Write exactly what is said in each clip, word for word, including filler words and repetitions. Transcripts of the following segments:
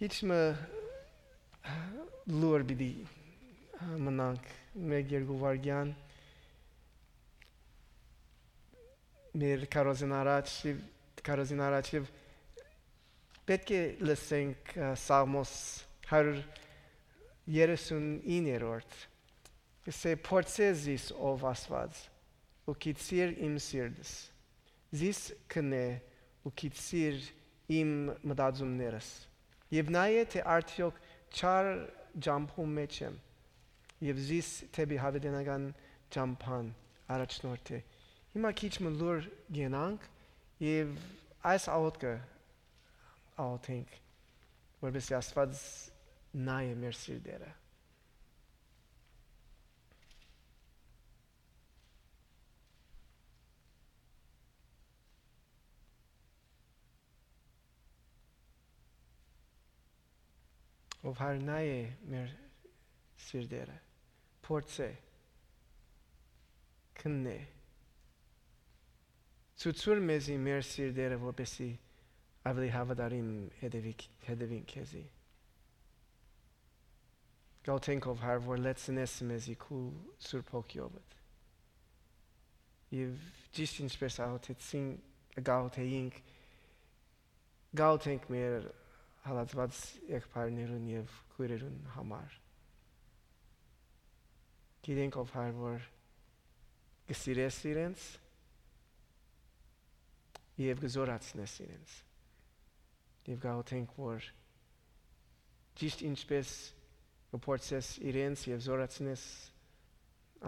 Քիչ մը լուր պիտի մնանք, մէկ երկու վայրկեան, մեր քարոզին առաջ, քարոզին առաջ եւ պէտք է լսենք, ը, Սաղմոս հարիւր երեսուն իններորդ, կ'ըսէ. «Փորձէ զիս, ով Աստուած, ու գիտցիր իմ սիրտս, զիս քննէ ու գիտցիր իմ մտածումներս, եւ նայէ թէ արդեօք չար ճամբուն մէջ եմ, եւ զիս դէպի յաւիտենական ճամբան առաջնորդէ»։ Հիմա քիչ մը լուր գնանք եւ այս աղօթքը աղօթենք, որպեսզի Աստուած նայ է մեր սիրտերը։ Ով Հայրն է մեր սիրտերը, փորձ է, քննե, ցուցուր մեզի մեր սիրտերը, որպեսզի ավելի հավատարիմ հետևի-, հետևին քեզի։ Գալթենք, ով Հայր, որ լեցնես մեզի քու Սուրբ Հոգիովդ։ Եւ ճիշտ ինչպես աղոթեցին, գաղութեինք, գաղութենք մեր հալածված եղբայրներուն եւ քոյրերուն համար։ Գիտենք, ով Հայր, որ կը սիրես իրենց եւ կը զորացնես իրենց։ Եւ գաղութենք, որ ճիշտ ինչպես կը փորձես իրենց եւ զորացնես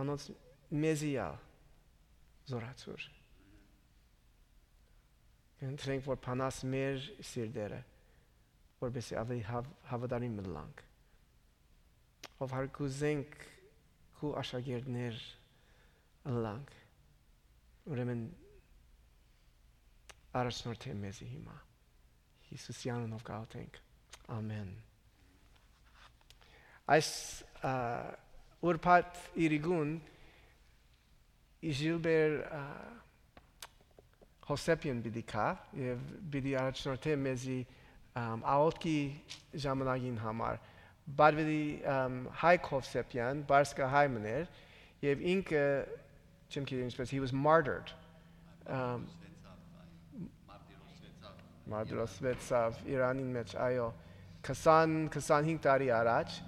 անոնց, մեզի ալ զորացուր։ Կընտրենք, որ փանաս մեր սիրտերը, որպեսզի ավելի հաւ-, հավատարիմ ըլլանք։ Ով Հայր, կ'ուզենք քու աշակերտներ ըլլանք, ուրեմն առաջնորդէ մեզի հիմա։ Յիսուսի անունով կ'աղոթենք։ Ամեն։ Այս, ա, ուրբաթ իրիկուն Ժիլբեր, ա, Հովսեփեան պիտի գայ եւ պիտի առաջնորդէ մեզի, ամ, աղօթքի ժամանակին համար։ Բարբերի, ամ, Հայկ Հովսեփեան, Պարսկահայ մըն էր, եւ ինքը, չեմ գիտեր ինչպես, he was martyred. Ամ, մարտիրոսվեցաւ Իրանին մէջ, այո, քսան, քսանհինգ տարի առաջ,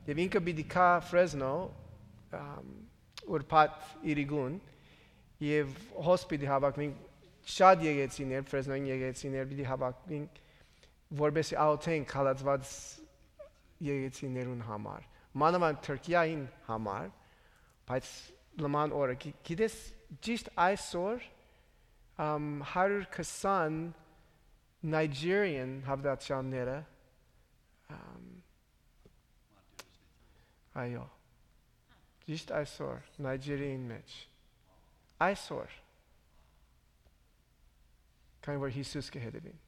եւ ինքը պիտի գայ Ֆրեզնո, ամ, ուրբաթ իրիկուն, եւ հոս պիտի հաւաքուին շատ եկեցիներ, Ֆրեզնոյին եկեցիներ պիտի հաւաքուին, որպեսզի աղօթենք հալածված եկեցիներուն համար, մանաւանդ Թուրքիային համար, բայց նման օրը, գի-, գիտես, ճիշտ այսօր, ամ, հարիւր քսան Nigerian հաւատացյալները, ամ, այո, ճիշտ այսօր, Նայջերիային մէջ, այսօր, քանի որ Յիսուս կը հետևին։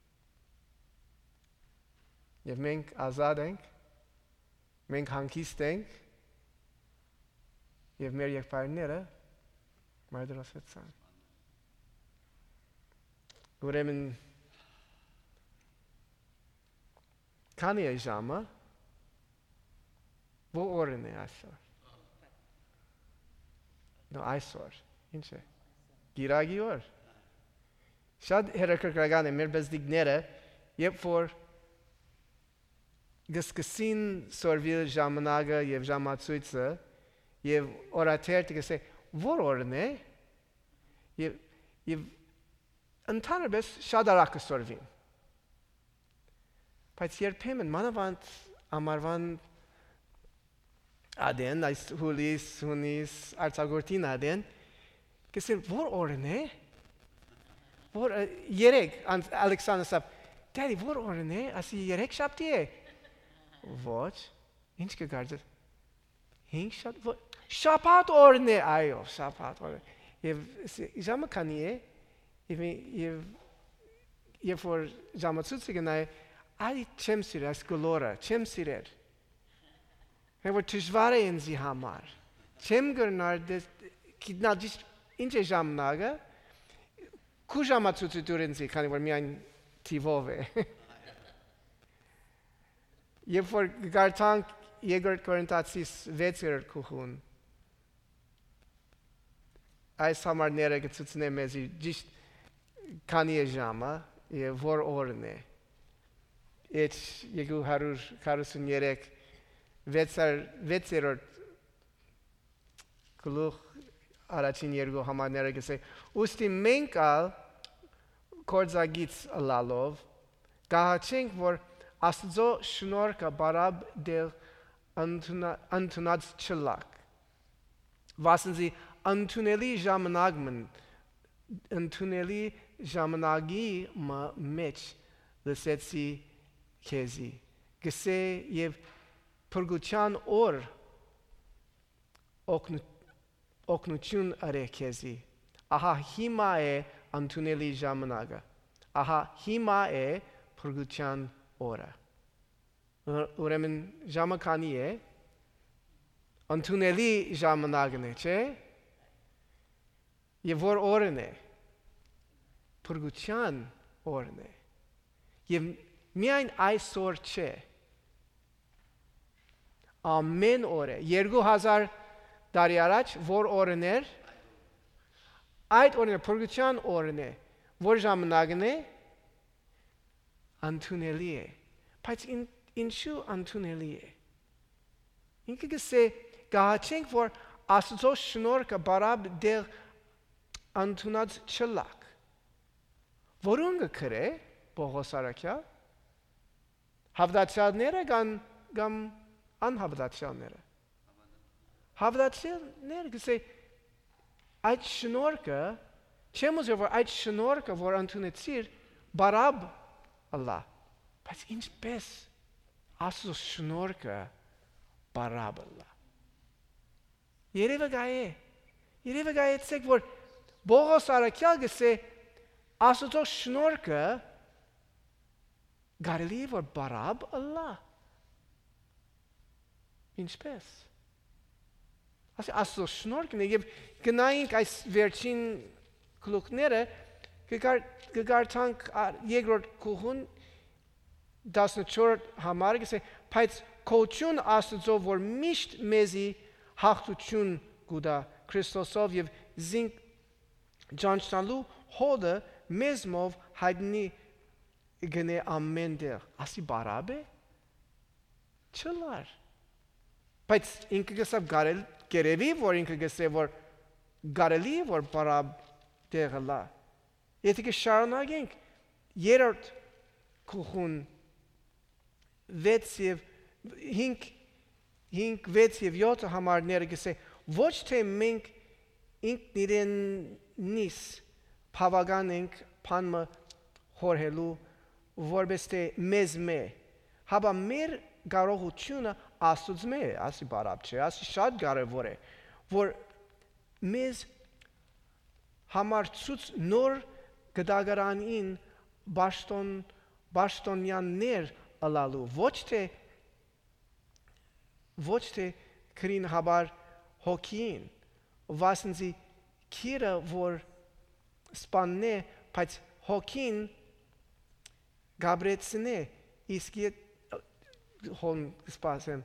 Եւ մենք ազատ ենք, մենք հանգիստ ենք, եւ մեր եղբայրները մարտիրոսվեցան։ Ուրեմն, քանի՞ է ժամը, ո՞ր օրն է այսօր։ No, այսօր, ինչ է, կիրակի օր։ Շատ հետաքրքրական է, մեր բզդիկները, երբ որ կը սկսին սորվիլ ժամանակը եւ ժամացոյցը, եւ օրաթերթը կ'ըսէ, ո՞ր օրն է, եւ, եւ ընդհանրապես շատ արագ կը սորվին։ Բայց երբեմն, մանաւանդ ամառուան ատեն, այս հուլիս, հունիս, արձակուրդին ատեն, կ'ըսեն, ո՞ր օրն է, ո՞ր, ը, երեկ, անց-, Ալեքսան ըսաւ, «Դեդի, ո՞ր օրն է», ասի, «Երեկ շաբթի է»։ Ոչ, ինչ կը կարծես, հինգ շաբթ-, ո-, շաբաթ օրն է, այո, շաբաթ օրն է։ Եւ ս-, ժամը քանի՞ է, եւ, եւ երբ որ ժամացոյցը գնայ, այ չեմ սիրեր այս գլորը, չեմ սիրեր։ Հե որ դժվար է ինձի համար։ Չեմ կրնար դες-, գիտնալ ճիշտ ինչ է ժամանակը, քու ժամացոյցը տուր ինձի, քանի որ միայն թիվով է։ Երբ որ կարդանք Երկրորդ Կորինթացիս վեցերորդ գլուխ, այս համարները կը ցուցնեն մեզի ճիշտ քանի է ժամը եւ որ օրն է։ Էջ երկու հարիւր քառասուն երեք, վեցեր-, վեցերորդ գլուխ, առաջին երկու համարները կ'ըսէ. «Ուստի մենք ալ, գործակից ըլլալով, կ'ահաչենք, որ Աստուծոյ շնորհքը պարապ տեղ ընդունա-, ընդունած չըլլաք։ Վասն զի ընդունելի ժամանակ մը, ընդունելի ժամանակի մը մէջ լսեցի քեզի, կ'ըսէ, եւ փրկութեան օր օգնու-, օգնութիւն ըրէ քեզի։ Ահա հիմա է ընդունելի ժամանակը, ահա հիմա է փրկութեան օրը»։ Ուրեմն ժամը քանի է, ընդունելի ժամանակն է, չէ՞։ Եւ որ օրն է, փրկութեան օրն է։ Եւ միայն այսօր չէ, ամէն օր է։ Երկու հազար տարի առաջ որ օրն էր, այդ օրն է, փրկութեան օրն է։ Որ ժամանակն է, ընդունելի է։ Բայց ին-, ինչու ընդունելի է։ Ինքը կ'ըսէ. «Կ'ահաչենք, որ Աստուծոյ շնորհքը պարապ տեղ ընդունած չըլլաք»։ Որուն կը գրէ Պօղոս առաքեալ։ Հաւատացեալները կան կամ անհաւատացեալները։ Հաւատացեալներ կ'ըսէ. «Այդ շնորհքը, չեմ ուզեր, որ այդ շնորհքը, որ ընդունեցիր, պարապ ըլլայ»։ Բայց ինչպէ՞ս Աստուծոյ շնորհքը պարապ ըլլայ։ Երեւը գայ է։ Երեւը գայեցեք, որ Պօղոս առաքեալ կ'ըսէ. «Աստուծոյ շնորհքը կարելի է որ պարապ ըլլայ»։ Ինչպէ՞ս։ Ասի, Աստուծոյ շնորհքն է, եւ գնայինք այս վերջին գլուխները, կը կար-, կը կարդանք ա-, երկրորդ գլուխուն, տասնչորսերորդ համարը, կ'ըսէ. «Բայց գոհութիւն Աստուծոյ, որ միշտ մեզի յաղթութիւն կու տայ Քրիստոսով, եւ զինք ճանչնալու հօտը մեզմով յայտնի կ'ընէ ամէն տեղ»։ Ասի պարապ է։ Չըլլար։ Բայց ինքը կ'ըսաւ կարել-, կ'երեւի, որ ինքը կ'ըսէ, որ կարելի է որ պարապ տեղ ըլլայ։ Եթէ կը շարունակենք երրորդ գլուխուն վեց եւ հինգ, հինգ, վեց եւ յոթ համարները, կ'ըսէ. «Ոչ թէ մենք ինքնիրենից բաւական ենք բան մը խորհելու, որպէս թէ մեզմէ, հապա մեր կարողութիւնը Աստուծմէ է», ասի պարապ չէ, ասի շատ կարեւոր է, որ մեզ համար ցոյց նոր կտակարանին պաշտոն-, պաշտոնեաններ ըլլալու, ոչ թէ, ոչ թէ քրին, հապա հոգիին, վասն զի գիրը որ սպաննէ, բայց հոգին կ'ապրեցնէ, իսկ ե-, հոն սպասեմ,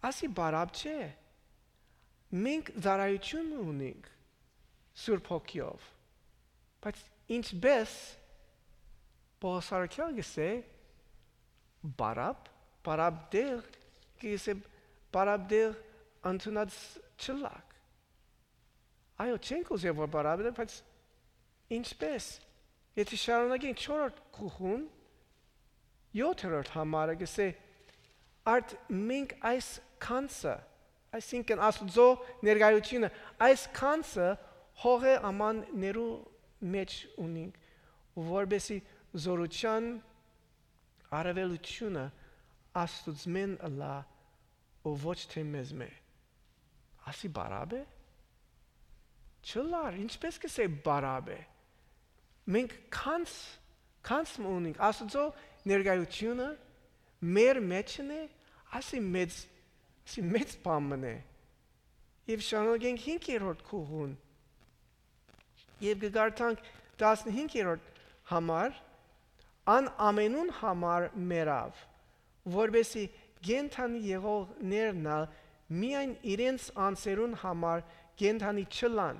ասի պարապ չէ, մենք ծառայութիւն ունենք Սուրբ Հոգիով, բայց ինչպէս Պօղոս առաքեալ կ'ըսէ, պարապ, պարապ տեղ, կ'ըսէ, պարապ տեղ ընդունած չըլլաք։ Այո, չենք ուզեր որ պարապ տեղ, բայց ինչպէս։ Եթէ շարունակենք չորրորդ գլուխուն, յոթերորդ համարը կ'ըսէ. «Արդ մենք այս գանձը», այսինքն Աստուծոյ ներկայութիւնը, այս գանձը հողէ աման ներու մէջ ունինք, որպէս զի զօրութեան առաւելութիւնը Աստուծմէն ըլլայ ու ոչ թէ մեզմէ։ Ասի պարապ է։ Չըլլար, ինչպէս կ'ըսէ պարապ է։ Մենք գանձ, գանձ մը ունենք, Աստուծոյ ներկայութիւնը մեր մէջն է, ասի մեծ, ասի մեծ բան մը է։ Եւ շարունակենք հինգերորդ գլուխուն։ Եւ կը կարդանք տասնհինգերորդ համար. «Ան ամենուն համար մեռաւ, որպեսզի կենդանի եղողներն ալ միայն իրենց անձերուն համար կենդանի չըլլան,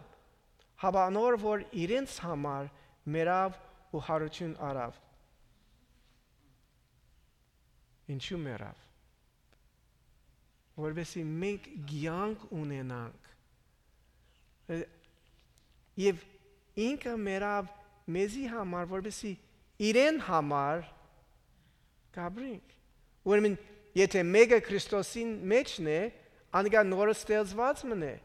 հապա անոր որ իրենց համար մեռաւ ու յարութիւն առաւ։ Ինչու մեռաւ։ Որպեսզի մենք կեանք ունենանք։ Ը, եւ ինքը մեռաւ մեզի համար, որպեսզի իրեն համար կապրենք։ Ուրեմն, եթե մէկը Քրիստոսին մէջն է, անիկա նորը ստեղծուած մըն է։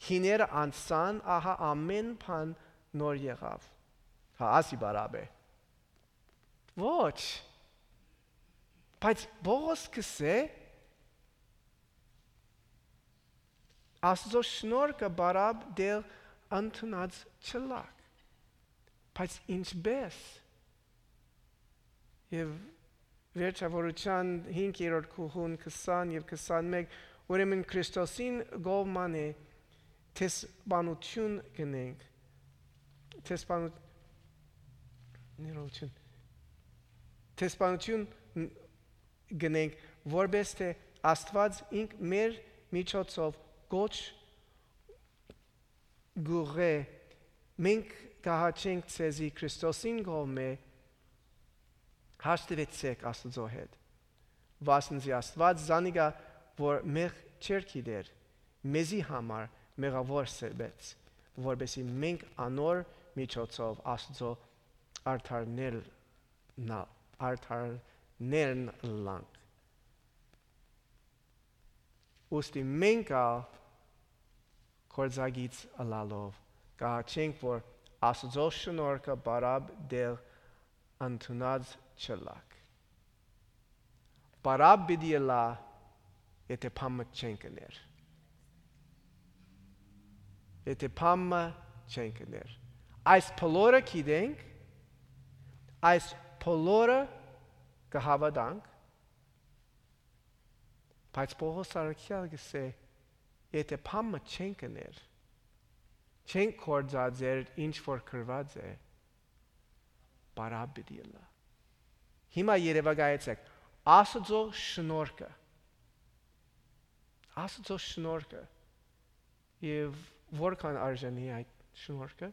Հիները անցան, ահա ամէն բան նոր եղաւ։ Հա, ասի պարապ է։ Ոչ։ Բայց Պողոս կսէ, Աստուծոյ շնորհքը պարապ դել ընդունած չլաք։ Բայց ինչպե՞ս։ Եւ վերջավորութեան հինգերորդ գլխուն քսան եւ քսանմէկ, ուրեմն Քրիստոսին կողմանը դեսպանութիւն կ'ընենք, դեսպանութ-, ներողություն, դեսպանութիւն կ'ընենք, որպէս թէ Աստուած ինք մեր միջոցով կոչ կ'ուղղէ, մենք կ'ահաչենք ձեզի Քրիստոսին կողմէ, հաշտուեցէք Աստուծոյ հետ։ Վասն զի Աստուած զանիկա, որ մեղք չէր գիտեր, մեզի համար մեղաւոր սրբեց, որպեսզի մենք անոր միջոցով Աստուծոյ արդարներն ալ, արդարներն ըլլանք։ Ուստի մենք ալ գործակից ըլլալով, կ'ահաչենք, որ Աստուծոյ շնորհքը պարապ դել ընդունած չլաք։ Պարապ պիտի ըլլայ, եթե բան մը չենք ըներ։ Եթե բան մը չենք ըներ։ Այս բոլորը գիտենք, այս բոլորը կը հաւատանք, բայց Պողոս առաքեալ կ'ըսէ, եթե բան մը չենք ըներ, չենք գործածեր ինչ որ գրուած է, պարապ պիտի ըլլայ։ Հիմա երեւակայեցէք, Աստուծոյ շնորհքը, Աստուծոյ շնորհքը, եւ որքան արժանի այդ շնորհքը,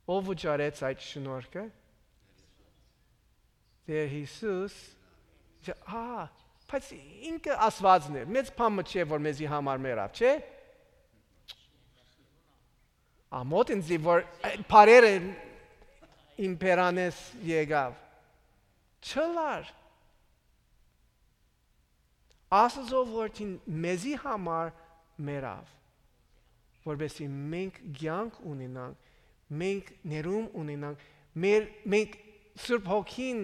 ով վճարեց այդ շնորհքը, Տէր Յիսուս, ա, բայց ինքը Աստուածն էր, մեծ բան մը չէ, որ մեզի համար մեռաւ, չէ՞։ Ամոթ ինձի, որ, ը, բարերը իմպերանես եկաւ։ Չլար։ Աստուծոյ որդին մեզի համար մեռաւ, որպեսզի մենք կեանք ունենանք, մենք ներում ունենանք, մեր, մենք Սուրբ Հոգին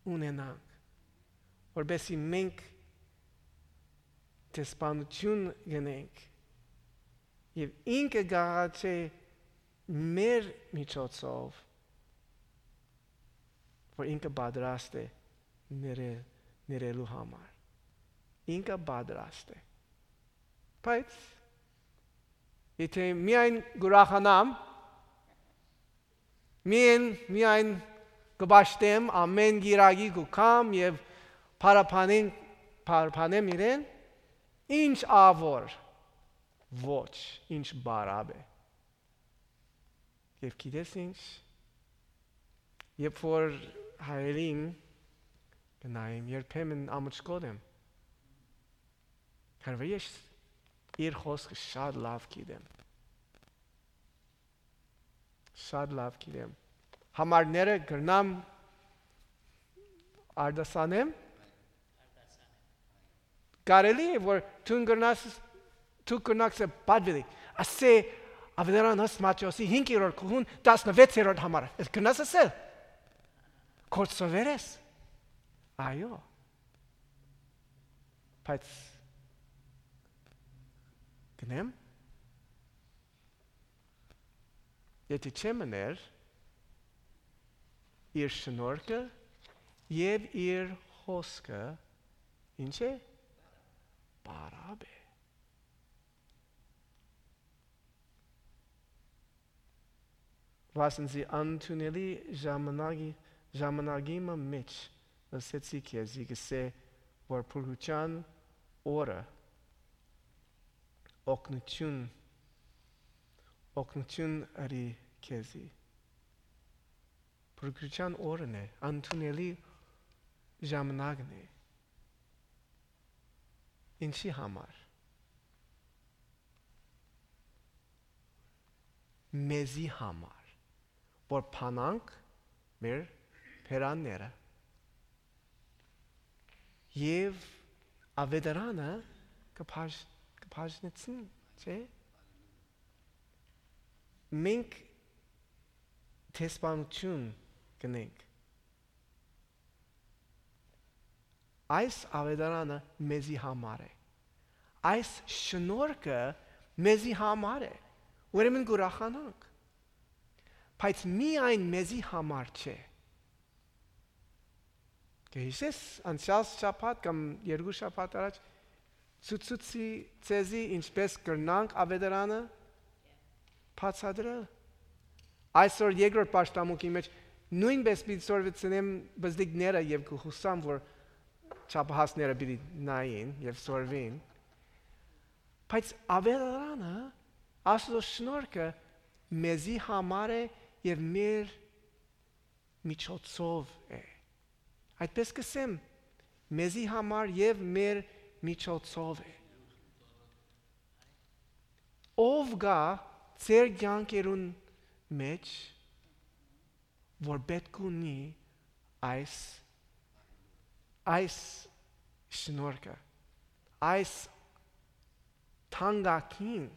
ունենանք, որպեսզի մենք դեսպանութիւն գնենք եւ ինքը կ'աղաչէ մեր միջոցով, որ ինքը պատրաստ է ներել, ներելու համար։ Ինքը պատրաստ է։ Բայց եթե միայն կ'ուրախանամ, միայն, միայն կը պաշտեմ, ամէն կիրակի կու գամ եւ փառաբանեմ, փառաբանեմ իրեն, ինչ ա որ, ոչ, ինչ պարապ է։ Եւ գիտես ինչ, երբ որ հայերին կը նայեմ, երբեմն ամուջկոտ եմ, քանզի ես իր խօսքը շատ լաւ գիտեմ։ Շատ լաւ գիտեմ։ Համարները կրնամ արտասանեմ։ Կարելի է, որ դուն կրնաս, դու կրնաս պատվիրի։ Ասէ, Ավետարանս Մատթէոսի հինգերորդ գլխուն տասնվեցերորդ համարը։ Ես կրնաս ասել։ Քորդ սովեր ես։ Այո։ Բայց գնեմ, եթե չեմ ըներ, իր շնորհքը եւ իր խօսքը ինչ է։ Պարապ է։ Վասն զի անընդունելի ժամանակի, ժամանակի մը մէջ ըսեցի քեզի, կ'ըսէ, որ փրկութեան օրը օգնութիւն, օգնութիւն ըրի քեզի։ Փրկութեան օրն է, ընդունելի ժամանակն է։ Ինչի համար։ Մեզի համար, որ փանանք մեր բերանները։ Եւ աւետարանը կը բաժ-, կը բաժնեցնի, չէ՞։ Մենք դեսպանութիւն կ'ընենք։ Այս աւետարանը մեզի համար է։ Այս շնորհքը մեզի համար է։ Ուրեմն կ'ուրախանանք։ Բայց միայն մեզի համար չէ։ Կը յիշես անցեալ շաբաթ կամ երկու շաբաթ առաջ, ցուցուցի ձեզի ինչպէս կրնանք աւետարանը բացատրել։ Այսօր երկրորդ պաշտամունքի մէջ նոյնպէս պիտի սորվեցնեմ բզդիկները եւ կը յուսամ, որ չափահասները պիտի նային եւ սորվին։ Բայց աւետարանը, Աստուծոյ շնորհքը մեզի համար է եւ մեր միջոցով է։ Այդպես կ'ըսեմ, մեզի համար եւ մեր միջոցով է։ Ո՞վ կայ ձեր կեանքերուն մէջ, որ պէտք ունի այս, այս շնորհքը, այս թանկագին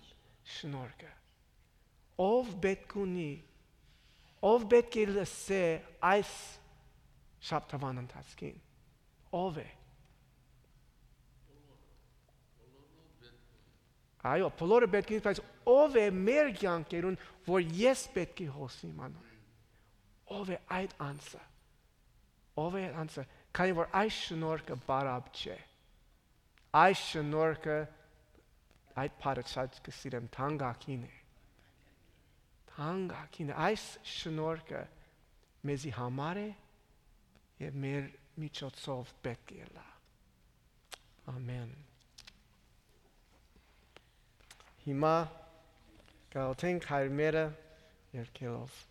շնորհքը։ Ո՞վ պէտք ունի, ո՞վ պէտք է լսէ այս շաբթուան ընթացքին։ Ո՞վ է։ Այո, բոլորը պէտք է, բայց ո՞վ է մեր կեանքերուն, որ ես պէտք է հոսիմ անոր։ Ո՞վ է այդ անձը։ Ո՞վ է այդ անձը, քանի որ այս շնորհքը բարապ չէ։ Այս շնորհքը, այդ բառը շատ կը սիրեմ, թանկագին է։ Թանկագին է։ Այս շնորհքը մեզի համար է եւ մեր միջոցով պէտք է ըլլայ։ Ամեն։ Հիմա կ'աղօթենք հայրմերը երգելով։